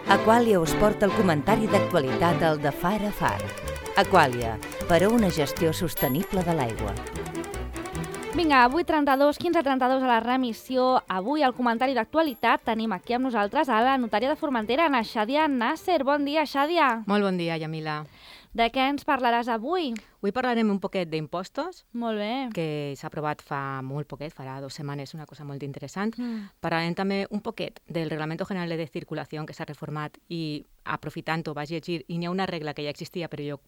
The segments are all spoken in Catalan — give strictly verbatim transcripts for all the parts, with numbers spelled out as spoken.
Aqualia us porta el comentari d'actualitat al de Far a Far. Aqualia, per a una gestió sostenible de l'aigua. Vinga, avui trenta-dos, quinze trenta-dos a la remissió. Avui al comentari d'actualitat tenim aquí amb nosaltres a la notària de Formentera, na Xàdia Nasser. Bon dia, Xàdia. Molt bon dia, Yamila. De què ens parlaràs avui? Avui parlarem un poquet d'impostos, Molt bé. que s'ha aprovat fa molt poquet, farà dues setmanes, una cosa molt interessant. Mm. Parlarem també un poquet del Reglamento General de Circulació que s'ha reformat i, aprofitant-ho, vaig llegir, i n'hi ha una regla que ja existia, però jo,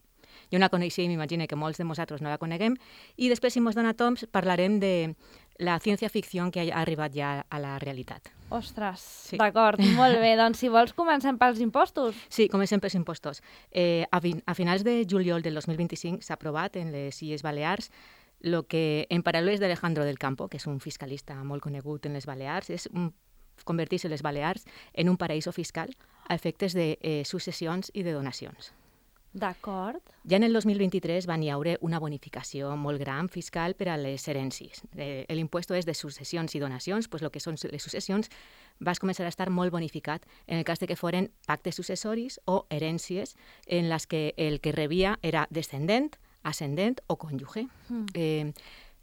jo no la coneixia i m'imagino que molts de nosaltres no la coneguem. I després, si mos dona temps, parlarem de la ciència-ficció que ha arribat ja a la realitat. Ostres, Sí. d'acord, molt bé. Doncs si vols comencem pels impostos. Sí, comencem pels impostos. Eh, a, fin a finals de juliol del dos mil vint-i-cinc s'ha aprovat en les Illes Balears el que, en paraules d'Alejandro del Campo, que és un fiscalista molt conegut en les Balears, és un, convertir-se les Balears en un paraíso fiscal a efectes de eh, successions i de donacions. D'acord. Ja en el dos mil vint-i-tres van hi haure una bonificació molt gran fiscal per a les herències. Eh, L'impuesto és de successions i donacions, doncs el que són les successions va començar a estar molt bonificat en el cas de que foren pactes successoris o herències en les que el que rebia era descendent, ascendent o cònjuge. Mm. Eh,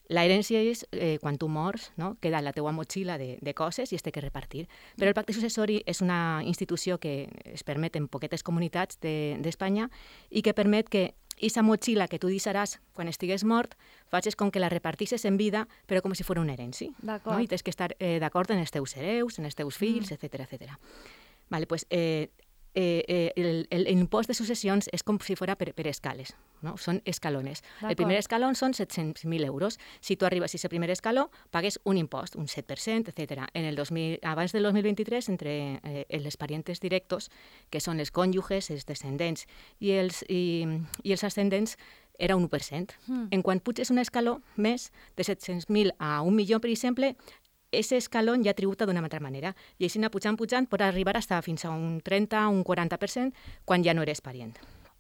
La herència és eh, quan tu mors, no? Queda la teua motxilla de, de coses i es té que repartir. Però el pacte successori és una institució que es permet en poquetes comunitats d'Espanya de, i que permet que aquesta motxilla que tu deixaràs quan estigues mort facis com que la repartisses en vida, però com si fos una herència. D'acord. No? I tens que estar eh, d'acord en els teus hereus, en els teus fills, mm. etcètera, etcètera. Vale, pues, eh, eh, eh, el, el, el impost de successions és com si fos per, per escales. No? Són escalones. El primer escaló són set-cents mil euros. Si tu arribes a aquest primer escaló, pagues un impost, un set per cent, etcètera. En el dos mil, abans del dos mil vint-i-tres, entre eh, els parientes directos, que són els cònjuges, els descendents i els, i, i els ascendents, era un u per cent. Mm. En quan puges un escaló més, de set-cents mil a un milió, per exemple, aquest escaló ja tributa d'una altra manera. I així anar pujant, pujant, pot arribar hasta fins a un trenta, un quaranta per cent, quan ja no eres parient.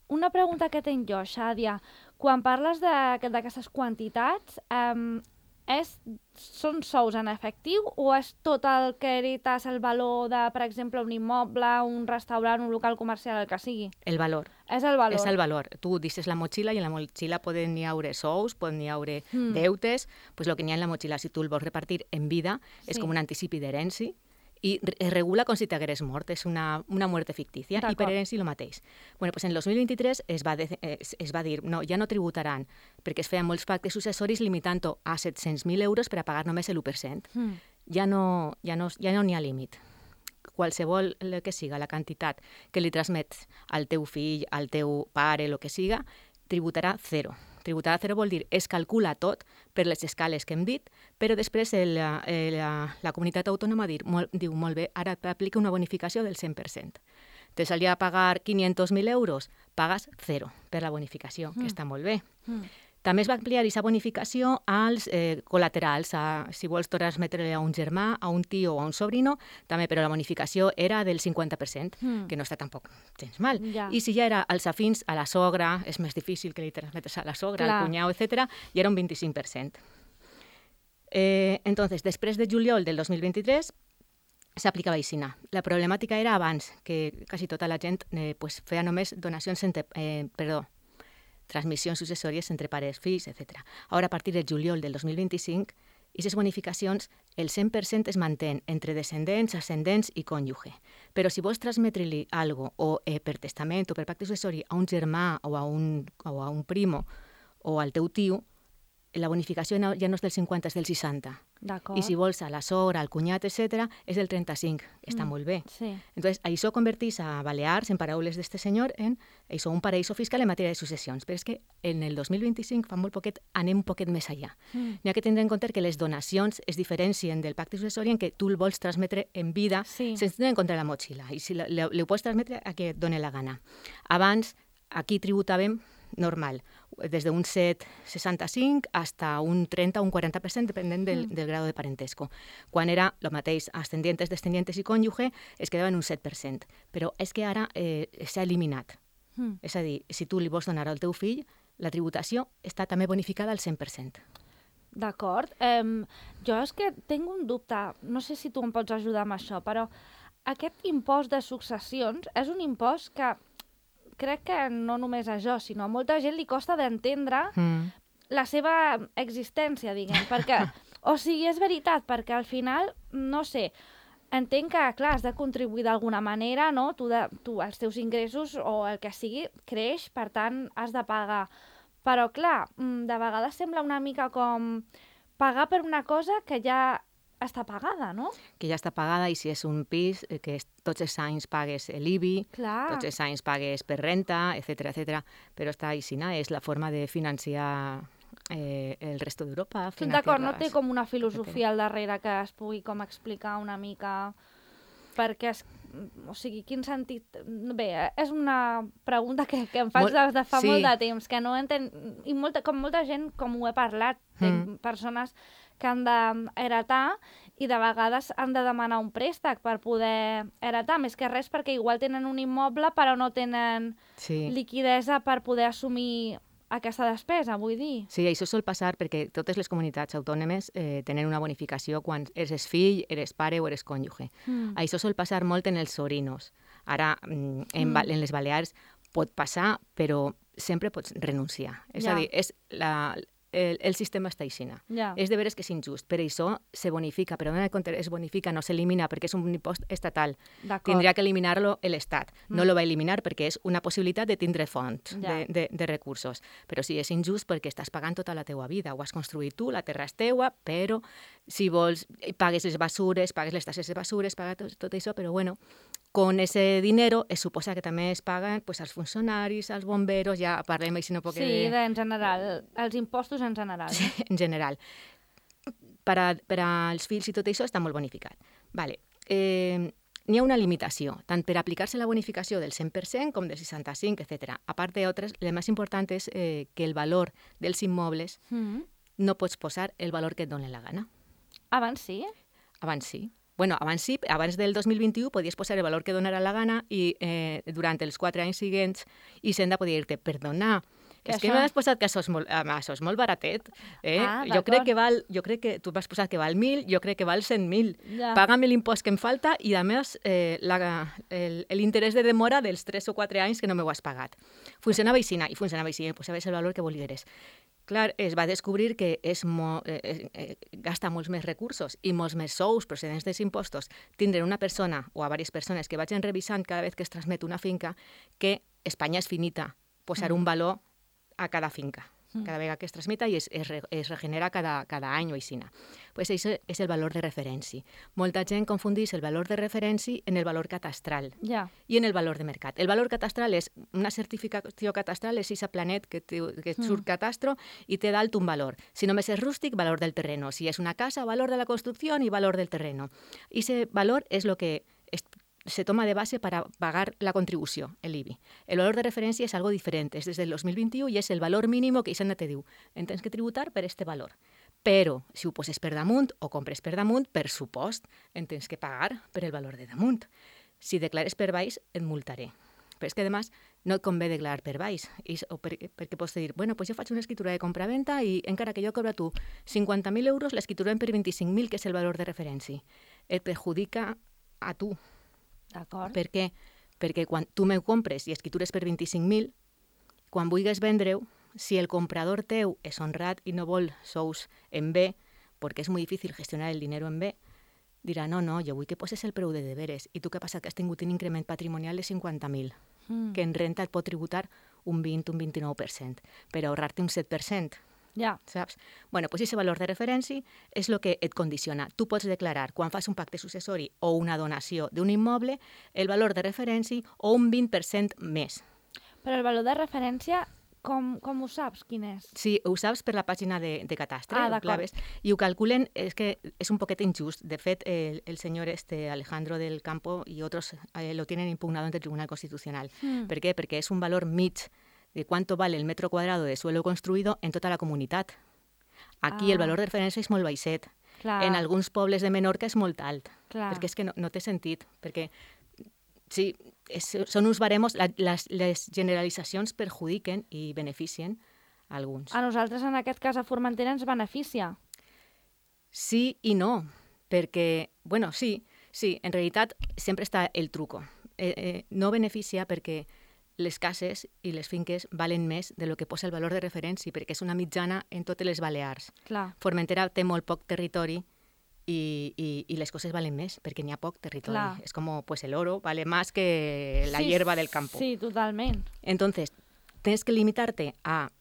Una pregunta que tinc jo, Xàdia. Quan parles d'aquestes quantitats, um, és, són sous en efectiu o és tot el que herites el valor de, per exemple, un immoble, un restaurant, un local comercial, el que sigui? El valor. És el valor. És el valor. Tu deixes la motxilla i en la motxilla poden hi haure sous, poden hi haure mm. deutes, pues el que n'hi ha en la motxilla, si tu el vols repartir en vida, sí. És com un anticipi d'herència, i es regula com si t'hagueres mort, és una, una muerte fictícia, i per herència el mateix. Bueno, pues en el dos mil vint-i-tres es va, de, es, es va dir, no, ja no tributaran, perquè es feien molts pactes successoris limitant-ho a set-cents mil euros per a pagar només l'u per cent. Mm. Ja no ja no, ja no n'hi ha límit. Qualsevol que siga la quantitat que li transmets al teu fill, al teu pare, el que siga, tributarà zero. Tributarà zero vol dir es calcula tot per les escales que hem dit, però després el, el, la comunitat autònoma dir, molt, diu molt bé, ara t'aplica una bonificació del cent per cent. Te salia a pagar quinientos mil euros, pagues zero per la bonificació, mm. que està molt bé. Mm. També es va ampliar aquesta bonificació als eh, col·laterals, a, si vols transmetre a un germà, a un tio o a un sobrino, també, però la bonificació era del cinquanta per cent, mm. que no està tampoc gens mal. Ja. I si ja era als afins, a la sogra, és més difícil que li transmetes a la sogra, Clar. Al cunyau, etcètera, i era un vint-i-cinc per cent. Eh, entonces, després de juliol del dos mil vint-i-tres, s'aplicava aixina. La problemàtica era abans, que quasi tota la gent eh, pues, feia només donacions entre... Eh, perdó, transmissions successòries entre pares, fills, etcètera. Ara, a partir del juliol del dos mil vint-i-cinc, aquestes bonificacions, el cent per cent es mantén entre descendents, ascendents i cònjuge. Però si vols transmetre-li alguna cosa, o eh, per testament o per pacte successori, a un germà o a un, o a un primo o al teu tio, la bonificació no, ja no és del cinquanta, és del seixanta. I si vols a la sogra, al cunyat, etcètera, és del trenta-cinc. Està mm, molt bé. Sí. Entonces, això convertís a Balears, en paraules d'este senyor, en això, un paraíso fiscal en matèria de successions. Però és que en el dos mil vint-i-cinc, fa molt poquet, anem un poquet més allà. Mm. N'hi ha que tindre en compte que les donacions es diferencien del pacte successori en què tu el vols transmetre en vida sí. sense tenir en compte la motxilla. I si li ho pots transmetre a qui et doni la gana. Abans, aquí tributàvem normal, des d'un set coma seixanta-cinc fins un trenta o un quaranta per cent, depenent del, mm. del grau de parentesco. Quan era el mateix, ascendientes, descendientes i cònjuge, es quedava en un set per cent. Però és que ara eh, s'ha eliminat. Mm. És a dir, si tu li vols donar al teu fill, la tributació està també bonificada al cent per cent. D'acord. Um, jo és que tinc un dubte, no sé si tu em pots ajudar amb això, però aquest impost de successions és un impost que crec que no només a jo, sinó a molta gent li costa d'entendre mm. la seva existència, diguem, perquè, o sigui, és veritat, perquè al final, no sé, entenc que, clar, has de contribuir d'alguna manera, no? Tu, de, tu, els teus ingressos o el que sigui creix, per tant, has de pagar. Però, clar, de vegades sembla una mica com pagar per una cosa que ja està pagada, no? Que ja està pagada, i si és un pis, que tots els anys pagues l'I B I, clar. Tots els anys pagues per renta, etcètera, etcètera. Però està aixina, és la forma de financiar eh, el resto d'Europa. D'acord, no té com una filosofia al darrere que es pugui com explicar una mica, perquè, es, o sigui, quin sentit... Bé, és una pregunta que, que em faig des de fa sí. molt de temps, que no entenc... I molta, com molta gent, com ho he parlat, mm. persones que han d'heretar i de vegades han de demanar un préstec per poder heretar, més que res perquè igual tenen un immoble però no tenen sí. liquidesa per poder assumir aquesta despesa, vull dir. Sí, això sol passar perquè totes les comunitats autònomes eh, tenen una bonificació quan eres fill, eres pare o eres cònjuge. Mm. Això sol passar molt en els sobrinos. Ara, en, mm. en les Balears pot passar, però sempre pots renunciar. És ja. a dir, és la... El, el sistema està aixina. Yeah. És de veres que és injust. Per això se bonifica, però en compte es bonifica, no s'elimina perquè és un impost estatal. Tindria que eliminar-lo l'Estat. Mm. No lo va eliminar perquè és una possibilitat de tindre fonts yeah. de, de, de recursos. Però sí, és injust perquè estàs pagant tota la teua vida. Ho has construït tu, la terra és teua, però si vols, pagues les basures, pagues les tasses de basures, pagues tot, tot això, però bueno, con ese dinero es suposa que també es paguen pues, als funcionaris, als bomberos, ja parlem així un poc sí, de... Sí, en general, els impostos en general. Sí, en general. Per, a, per als fills i tot això està molt bonificat. Vale. Eh, n'hi ha una limitació, tant per aplicar-se la bonificació del cent per cent com del seixanta-cinc, etcètera. A part d'altres, el més important és eh, que el valor dels immobles mm. no pots posar el valor que et doni la gana. Abans sí? Abans sí. Bueno, abans sí, abans del dos mil vint-i-u podies posar el valor que donara la gana i eh, durant els quatre anys següents Hisenda podia dir-te, perdona, és això? Que no has posat que això és molt, això és molt baratet. Eh? Ah, jo crec que val, jo crec que tu vas posar que val mil, jo crec que val cent mil. Ja. Paga'm l'impost que em falta i, a més, eh, l'interès de demora dels tres o quatre anys que no m'ho has pagat. Funcionava així, i funcionava així, posaves el valor que volieres. Clar, es va descobrir que és mo, eh, eh, gasta molts més recursos i molts més sous procedents dels impostos tindre una persona o a diverses persones que vagin revisant cada vegada que es transmet una finca que Espanya és finita, posar mm. un valor a cada finca. Cada vegada que es transmeta i es, es, es regenera cada, cada any o així. Pues això és el valor de referència. Molta gent confundeix el valor de referència en el valor catastral yeah. i en el valor de mercat. El valor catastral és una certificació catastral, és aquest planet que, te, que mm. surt catastro i té dalt un valor. Si només és rústic, valor del terreno. Si és una casa, valor de la construcció i valor del terreno. I aquest valor és el que es, se toma de base para pagar la contribució, el I B I. El valor de referència és algo diferent, és des del dos mil vint-i-u i és el valor mínim que Hisenda te diu. En tens que tributar per este valor. Però, si ho poses per damunt o compres per damunt, per supost, en tens que pagar per el valor de damunt. Si declares per baix, et multaré. Però és que, a més, no et convé declarar per baix, I, o per, perquè pots dir, bueno, pues jo faig una escritura de compra-venta i encara que jo cobra tu cinquanta mil euros, l'escriturem per vint-i-cinc mil, que és el valor de referència. Et perjudica a tu. D'acord. Per què? Perquè quan tu me compres i escritures per vint-i-cinc mil, quan vulguis vendre-ho, si el comprador teu és honrat i no vol sous en B, perquè és molt difícil gestionar el dinero en B, dirà, no, no, jo vull que poses el preu de deberes. I tu què passa? Que has tingut un increment patrimonial de cinquanta mil, mm. que en renta et pot tributar un vint, un vint-i-nou per cent, per ahorrar-te un set per cent. Ja. Saps? Bueno, doncs aquest valor de referència és el que et condiciona. Tu pots declarar, quan fas un pacte successori o una donació d'un immoble, el valor de referència o un vint per cent més. Però el valor de referència, com, com ho saps, quin és? Sí, ho saps per la pàgina de, de Catastre, ah, ho claves, i ho calculen, és que és un poquet injust. De fet, el, el senyor este, Alejandro del Campo i altres eh, lo tienen impugnado ante el Tribunal Constitucional. Mm. Per què? Perquè és un valor mig de cuánto vale el metro cuadrado de suelo construido en tota la comunitat. Aquí ah. el valor de referència és molt baixet. Clar. En alguns pobles de Menorca és molt alt. Clar. Perquè és que no, no té sentit. Perquè sí, és, són uns baremos, la, les, les generalitzacions perjudiquen i beneficien a alguns. A nosaltres, en aquest cas, a Formentera ens beneficia. Sí i no, perquè, bueno, sí, Sí, en realitat sempre està el truco. Eh, eh, no beneficia perquè les cases i les finques valen més de lo que posa el valor de referència, perquè és una mitjana en totes les Balears. Clar. Formentera té molt poc territori y, y, y las cosas valen más, porque ni a poc territorio. Claro. Es como, pues el oro vale más que la sí, hierba del campo. Sí, totalmente. Entonces, tienes que limitarte a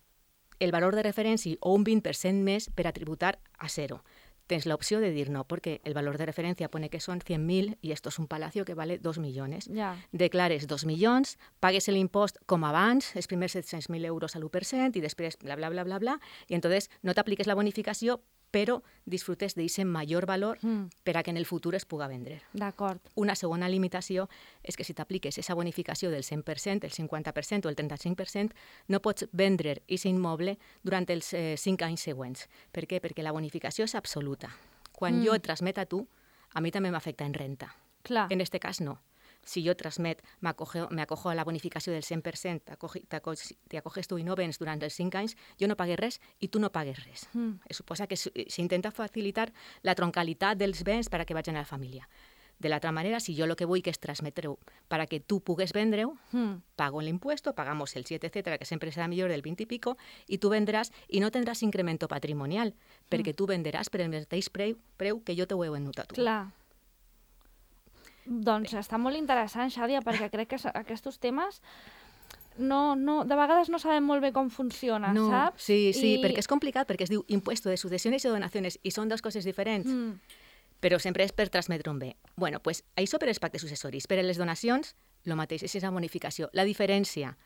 el valor de referència o un vint per cent més per a tributar a cero. Tens la opció de dir no, porque el valor de referencia pone que son cien mil y esto es un palacio que vale dos millones. Ja. Declares dos milions, pagues l'impost com abans, els primers set-cents mil euros a l'u per cent i després bla, bla, bla, bla, bla, i entonces no t'apliques la bonificació, però disfrutes d'aquest major valor Mm. per a que en el futur es puga vendre. D'acord. Una segona limitació és que si t'apliques aquesta bonificació del cent per cent, el cinquanta per cent o el trenta-cinc per cent, no pots vendre aquest immoble durant els eh, cinc anys següents. Per què? Perquè la bonificació és absoluta. Quan Mm. jo et transmet a tu, a mi també m'afecta en renta. Clar. En este cas, no. Si jo transmet, m'acojo, m'acojo a la bonificació del cent per cent, t'acoges tu i no vens durant els cinc anys, jo no pagué res i tu no pagues res. Mm. Es suposa que s'intenta facilitar la troncalitat dels béns per a que vagin a la família. De l'altra manera, si jo el que vull que és transmetre-ho per a que tu pugues vendre-ho, Mm. pago l'impuesto, pagamos el siete, etcétera, que sempre serà millor del vint i pico, i tu vendràs i no tindràs incremento patrimonial, perquè tu venderàs per el mateix preu, preu que jo t'ho he venut a tu. Clar. Doncs està molt interessant, Xàdia, perquè crec que aquests temes no, no, de vegades no sabem molt bé com funciona, no, saps? Sí, sí, I... perquè és complicat, perquè es diu impuesto de sucesiones i donaciones, i són dues coses diferents. Mm. Però sempre és per transmetre un bé. Bueno, pues, això per els pactes successoris. Per a les donacions, el mateix, és la bonificació. La diferència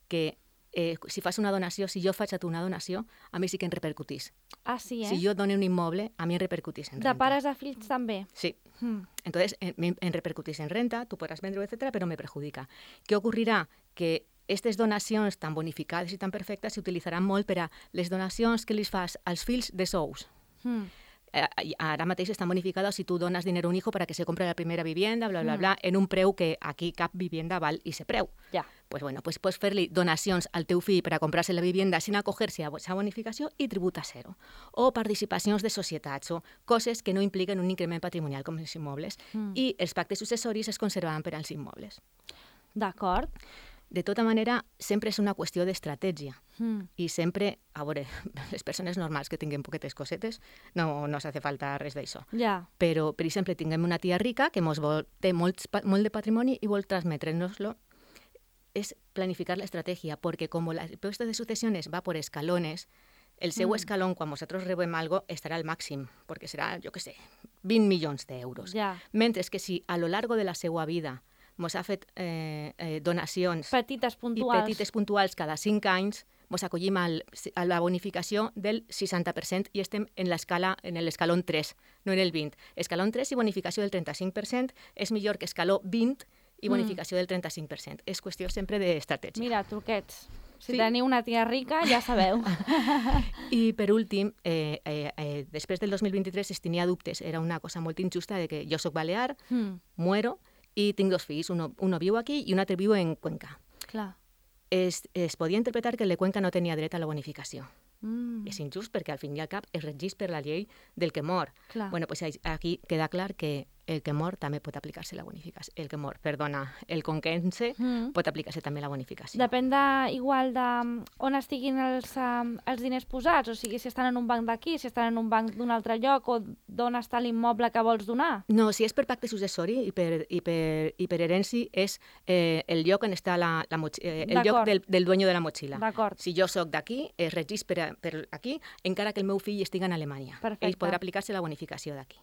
que eh, si fas una donació, si jo faig a tu una donació, a mi sí que em repercutís. Ah, sí, eh? Si jo dono un immoble, a mi em repercutís en renta. De pares a fills també? Sí. Mm. Entonces, en, en repercutís en renta, tú podrás vendre, etcétera, pero me perjudica. ¿Qué ocurrirà? Que aquestes donacions tan bonificades i tan perfectes s'utilitzaran molt per a les donacions que li fas als fills de sous. Mm. Eh, ara mateix estan bonificades si tu dones dinero a un hijo para que se compre la primera vivienda, bla, bla, Mm. bla, en un preu que aquí cap vivienda val i se preu. Ja. Pues bueno, pues pots fer-li donacions al teu fill per a comprar-se la vivienda sin acoger-se a aquesta bonificació i tributa zero. O participacions de societats o coses que no impliquen un increment patrimonial com els immobles. Mm. I els pactes successoris es conservaran per als immobles. D'acord. De tota manera, sempre és una qüestió d'estratègia. Mm. I sempre, a veure, les persones normals que tinguem poquetes cosetes, no, no s'hace falta res d'això. Ja. Però, per exemple, tinguem una tia rica que mos vol, té molts, molt de patrimoni i vol transmetre'ns-lo. És planificar la estratègia, perquè com el impuesto de sucesiones va por escalones, el seu Mm. escalón, quan nosaltres rebem algo, estarà al màxim, perquè serà, jo què sé, vint milions d'euros. Ja. Mentre que si a lo largo de la seva vida mos ha fet eh, eh, donacions Petites i puntuals. petites puntuals cada cinc anys, mos acollim al, a la bonificació del seixanta per cent i estem en l'escala en l'escalón tres, no en el vint. Escalón tres i bonificació del trenta-cinc per cent és millor que escaló vint i bonificació mm. del trenta-cinc per cent. És qüestió sempre d'estratègia. Mira, truquets. Si Sí. teniu una tia rica, ja sabeu. I per últim, eh, eh, eh, després del dos mil vint-i-tres es tenia dubtes. Era una cosa molt injusta de que jo sóc balear, Mm. muero i tinc dos fills. Uno, uno viu aquí i un altre viu en Cuenca. Clar. Es, es podia interpretar que el de Cuenca no tenia dret a la bonificació. Mm. És injust perquè al fin i al cap es regeix per la llei del que mor. Clar. Bueno, pues aquí queda clar que el que mor també pot aplicar-se la bonificació. El que mor, perdona, el conquense Mm. pot aplicar-se també la bonificació. Depèn de, igual de mm, on estiguin els, um, els diners posats, o sigui, si estan en un banc d'aquí, si estan en un banc d'un altre lloc, o d'on està l'immoble que vols donar. No, si és per pacte successori i per, i per, i per herència és eh, el lloc on està la, la motx- eh, el lloc D'acord. del, del dueño de la motxilla. D'acord. Si jo sóc d'aquí, es regeix per, a- per aquí, encara que el meu fill estigui en Alemanya. Perfecte. Ell podrà aplicar-se la bonificació d'aquí.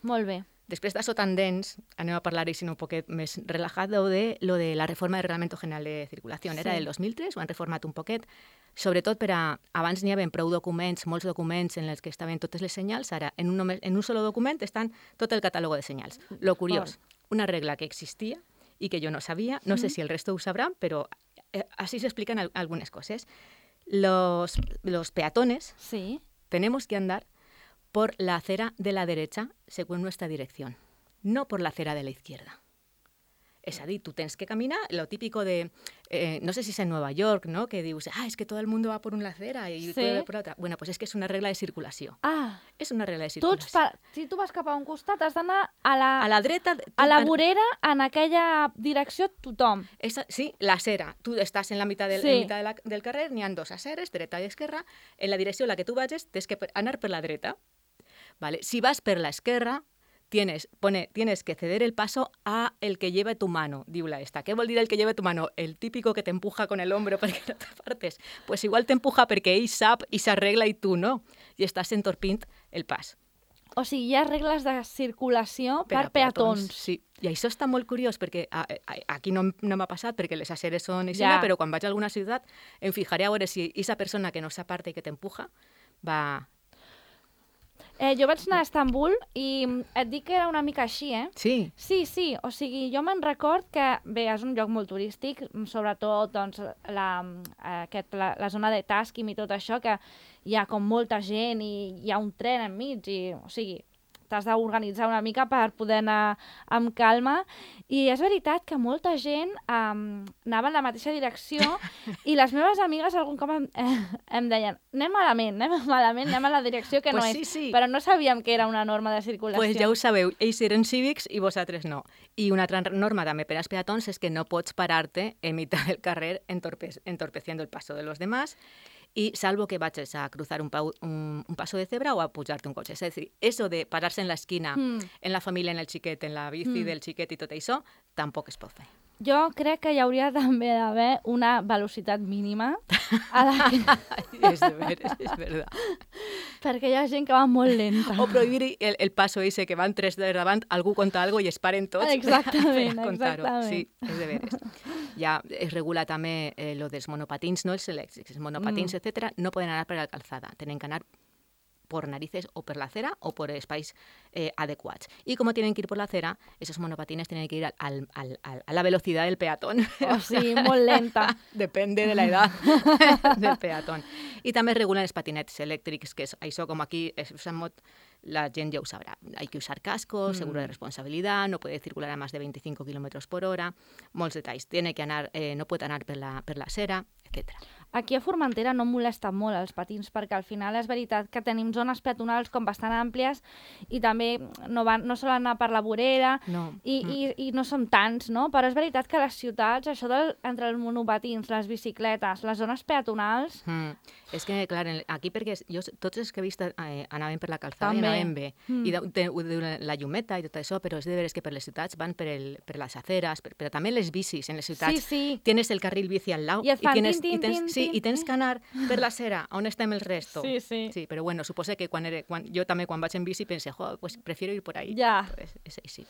Molt bé. Després d'això tan dens, anem a parlar així un poquet més relaxat de lo de la reforma del Reglamento General de Circulació. Era Sí. del dos mil tres, ho han reformat un poquet, sobretot per a... Abans n'hi havia prou documents, molts documents en els que estaven totes les senyals, ara en un, només, en un solo document estan tot el catàleg de senyals. Lo curiós, una regla que existia i que jo no sabia, no sé si el resto ho sabran, però eh, així s'expliquen al- algunes coses. Los, los peatones Sí. tenemos que andar por la acera de la derecha según nuestra dirección, no por la acera de la izquierda. És a dir, tu tens que caminar, lo típico de, eh, no sé si és en Nueva York, ¿no? Que dius, ah, es que todo el mundo va por una acera y Sí. puede por otra. Bueno, pues es que es una regla de circulació. Ah, És una regla de tu ets circulació. pa... si tu vas cap a un costat, has d'anar a la, A la dreta... tu- a la en- vorera, en aquella direcció, tothom. Esa, sí, la acera. Tu estàs en la mitad del, Sí. en mitad de la, del carrer, n'hi ha dos aceres, dreta i esquerra. En la direcció en la que tu vagis, tens que per- anar per la dreta. Vale. Si vas per la esquerra, tienes, pone, tienes que ceder el paso a el que lleve tu mano, diu la esta. ¿Qué vol dir el que lleve tu mano? El típico que te empuja con el hombro perquè no t'apartes. Pues igual t'empuja perquè ell sap i s'arregla i tu no. I estàs entorpint el pas. O sigui, hi ha regles de circulació per, per peatons. Sí, i això està molt curiós perquè a, a, aquí no, no m'ha passat perquè les aceres són així, Ja. però quan vaig a alguna ciutat em fijaré a veure si aquesta persona que no s'aparta i que t'empuja va... Eh, jo vaig anar a Estambul i et dic que era una mica així, eh? Sí, Sí, sí, o sigui, jo me'n record que, bé, és un lloc molt turístic, sobretot doncs, la, aquest, la, la zona de Tàsquim i tot això, que hi ha com molta gent i hi ha un tren enmig, i, o sigui, t'has d'organitzar una mica per poder anar amb calma. I és veritat que molta gent um, anava en la mateixa direcció i les meves amigues algun cop em, eh, em deien anem malament, anem malament, anem a la direcció que Pues no sí, és. sí. Però no sabíem que era una norma de circulació. pues ja ho sabeu, ells eren cívics i vosaltres no. I una altra norma també per als peatons és que no pots parar-te en mitad del carrer entorpe entorpeciendo el paso de los demás y salvo que vayas a cruzar un, un, un paso de cebra o a pujarte un cotxe. És a dir, eso de pararse en la esquina, Mm. en la família, en el xiquet, en la bici Mm. del xiquet i tot això, tampoc es pot fer. Jo crec que hi hauria també d'haver una velocitat mínima a la que... és de veres, és verdad. perquè hi ha gent que va molt lenta. O prohibir el, el paso ese que van tres de davant, algú conta algo i es paren tots Exactament, per a contar-ho. exactament. Sí, és de veres. Ja es regula també eh, lo dels monopatins, no els elèctrics. Els monopatins, Mm. etcétera, no poden anar per la calzada. Tenen que anar por narices o por la acera o por espais eh, adecuats. Y como tienen que ir por la acera, esos monopatines tienen que ir al, al, al, al, a la velocidad del peatón. O sigui, molt lenta. Depende de la edad del peatón. I també es regulen els patinets elèctrics, que és això com aquí es usan molt, la gent ja ho sabrà. Hay que usar cascos, seguro de responsabilidad, no puede circular a más de veinticinco kilómetros por hora, molts detalls. Tiene que anar, eh, no pot anar per la, per la acera, etcètera. Aquí a Formentera no molesten molt els patins perquè al final és veritat que tenim zones peatonals com bastant àmplies i també no, van, no solen anar per la vorera No. i, Mm. i, i no són tants, no? Però és veritat que a les ciutats, això del, entre els monopatins, les bicicletes, les zones peatonals... Mm. És que, clar, en- aquí perquè jo, tots els que he vist eh, anaven per la calzada També. i anaven bé. Mm. I de, de, de, la llumeta i tot això, però és de veres que per les ciutats van per, el, per les aceres, per, però també les bicis en les ciutats. Sí, sí. Tienes el carril bici al lado I et fan tienes, tin, tin, i tens, tin, sí, tin, i tens tin. que anar per la acera, on estem el resto. Sí, sí. Sí, però bueno, suposo que quan, era, quan jo també quan vaig en bici pense, jo, pues prefiero ir por ahí. Ja. És, és així.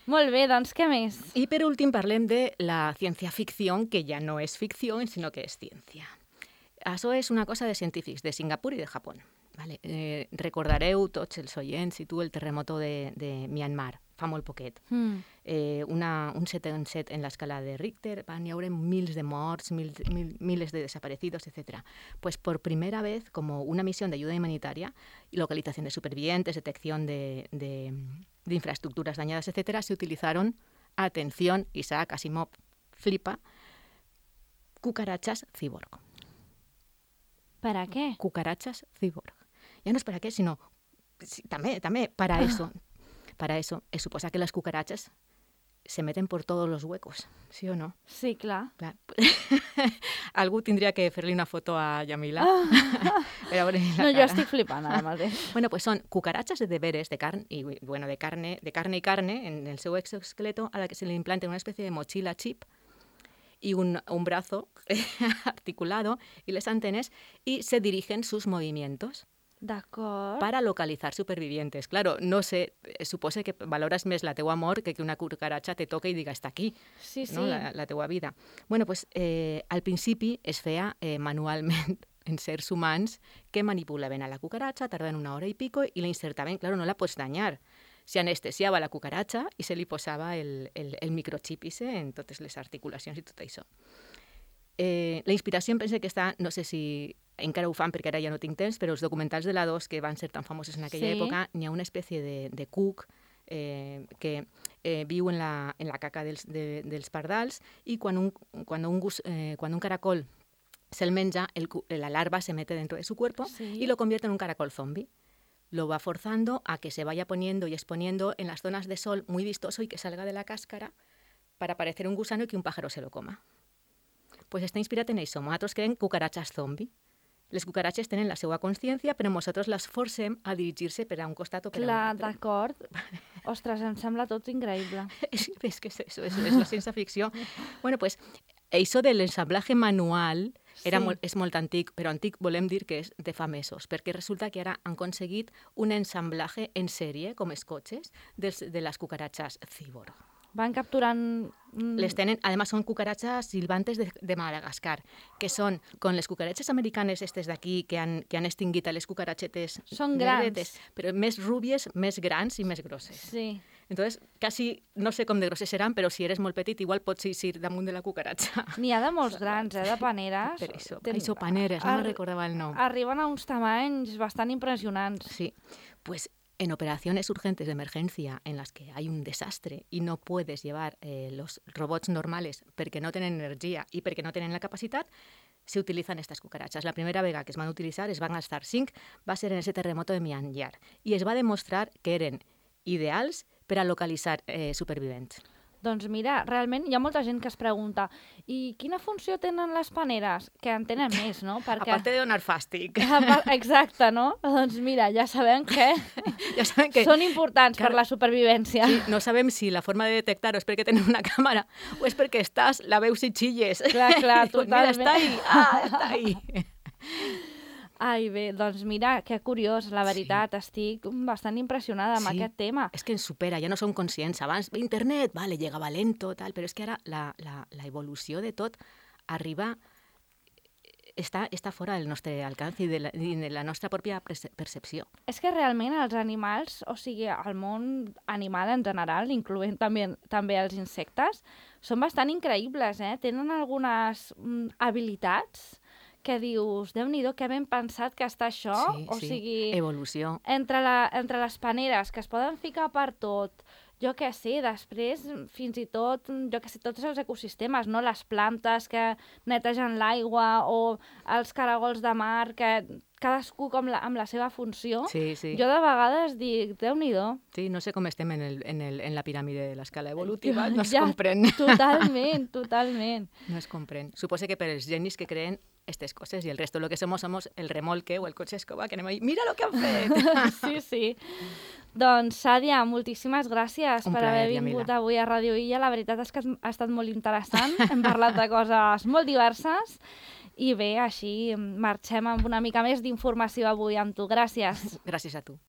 Molt bé, doncs què més? Y por último parlem de la ciencia ficción, que ya no es ficción, sino que es ciencia. Això és una cosa de científics de Singapur i de Japó. Vale? Eh, recordareu tots els oients i tu el terremoto de, de Myanmar, fa molt poquet. Mm. Eh, una, un set coma set en l'escala de Richter, van hi haure mils de morts, mil, mil, miles de desaparecidos, etcétera. Pues por primera vez, como una misión de ayuda humanitaria, localización de supervivientes, detección de, de, de infraestructuras dañadas, etcétera, se utilizaron, atención, Isaac Asimov flipa, cucarachas cyborg. Per a què? Cucarachas cyborg. Ya no es para qué, sino sí, también, también para eso. Para eso, es suposa que las cucarachas se meten por todos los huecos, ¿sí o no? Sí, clar. Clar. Algú tindria que fer-li una foto a Yamila. Per a veure la No, jo cara. estic flipant ara mateix. Bueno, pues son cucarachas de veres de carne y bueno, de carne, de carne y carne en el seu exoesqueleto a la que se le implanta una especie de mochila chip y un, un brazo articulado y las antenas y se dirigen sus movimientos D'acord. para localizar supervivientes. Claro, no sé, eh, supose que valores més la teua amor que que una cucaracha te toque i diga està aquí, Sí, sí. no? la, la teua vida. Bueno, pues eh, al principi es feia eh, manualment en seres humans que manipulaven a la cucaracha, tardaven una hora i pico i la insertaven, claro, no la pots danyar. Se anestesiava la cucaracha i se li posava el, el, el microchip ese en totes les articulacions i tot això. Eh, la inspiració em penso que està, no sé si encara ho fan perquè ara ja no tinc temps, però els documentals de la dos que van ser tan famosos en aquella Sí. època, n'hi ha una espècie de, de cuc eh, que eh, viu en la, en la caca dels, de, dels pardals i quan un, quan un, gus, eh, quan un caracol se'l menja, el, la larva se mete dentro de su cuerpo Sí. y lo convierte en un caracol zombie. Lo va forzando a que se vaya poniendo y exponiendo en las zonas de sol muy vistoso y que salga de la cáscara para parecer un gusano y que un pájaro se lo coma. Pues està inspirat en això. Nosaltres creem cucaratxes zombi. Les cucaratxes tenen la seva consciència, però nosaltres les forcem a dirigir-se per a un costat o per a un Clar, altre. d'acord. Ostres, em sembla tot increïble. Es, es que es eso, es, es la ciencia ficción. Bueno, pues això de l'ensamblatge manual era Sí. molt, és molt antic, però antic volem dir que és de fa mesos, perquè resulta que ara han aconseguit un ensamblatge en sèrie, com els cotxes, dels, de les cucaratxes Cibor. Van capturant... mm, Les tenen, además son cucarachas silbantes de, de Madagascar, que son con les cucarachas americanes estes d'aquí que han, que han extinguit a les cucarachetes Són grans. negretes, però més rúbies, més grans i més grosses. Sí. Entonces, casi, no sé com de grosses seran, però si eres molt petit, igual pots eixir damunt de la cucaratxa. N'hi ha de molts grans, eh, de paneres. Per això, Ten- això paneres, no ar- me recordava el nom. Arriben a uns tamanys bastant impressionants. Sí, pues en operaciones urgentes de emergencia en las que hay un desastre y no puedes llevar eh, los robots normales porque no tienen energía y porque no tienen la capacidad, se utilizan estas cucarachas. La primera vega que es van a utilizar, es van a gastar cinc, va a ser en ese terremoto de Myanmar i es va demostrar que eren ideals per a localitzar eh, supervivents. Doncs mira, realment hi ha molta gent que es pregunta i quina funció tenen les paneres? Que en tenen més, no? Perquè... Aparte de donar fàstic. Exacte, no? Doncs mira, ja sabem que Ja saben que són importants Clar. per la supervivència. sí, no sabem si la forma de detectar-ho és perquè tenen una càmera o és perquè estàs, la veus i xilles. Clar, clar, Dius, mira, totalment. està ahí, ah, està ahí. Ai, bé, doncs mira, que curiós, la veritat, sí. Estic bastant impressionada amb Sí. aquest tema. És que ens supera, ja no som conscients. Abans, internet, vale, llegava lento, tal, però és que ara la, la, la evolució de tot arriba, està, està fora del nostre alcance i de la, i de la nostra pròpia perce- percepció. És que realment els animals, o sigui, el món animal en general, incloent també, també els insectes, són bastant increïbles, eh? Tenen algunes mm, habilitats que dius, Déu-n'hi-do, que ben pensat que està això. sí, o sí. sigui, Evolució. entre, la, entre les paneres que es poden ficar per tot, jo què sé, després fins i tot, jo què sé, tots els ecosistemes, no? Les plantes que netegen l'aigua o els caragols de mar, que cadascú com la, amb la seva funció. Sí, sí. Jo de vegades dic, Déu-n'hi-do. Sí, no sé com estem en, el, en, el, en la piràmide de l'escala evolutiva, no es Ja, comprèn. Totalment, totalment. No es comprèn. Suposo que per els genis que creen aquestes coses i el resto lo que somos somos el remolque o el cotxe escoba que anem ahí, mira lo que han fet! Sí, sí. Doncs, Sàdia, moltíssimes gràcies Un per plaer, haver vingut Yamila. avui a Radio Illa. La veritat és que ha estat molt interessant. Hem parlat de coses molt diverses. I bé, així marxem amb una mica més d'informació avui amb tu. Gràcies. Gràcies a tu.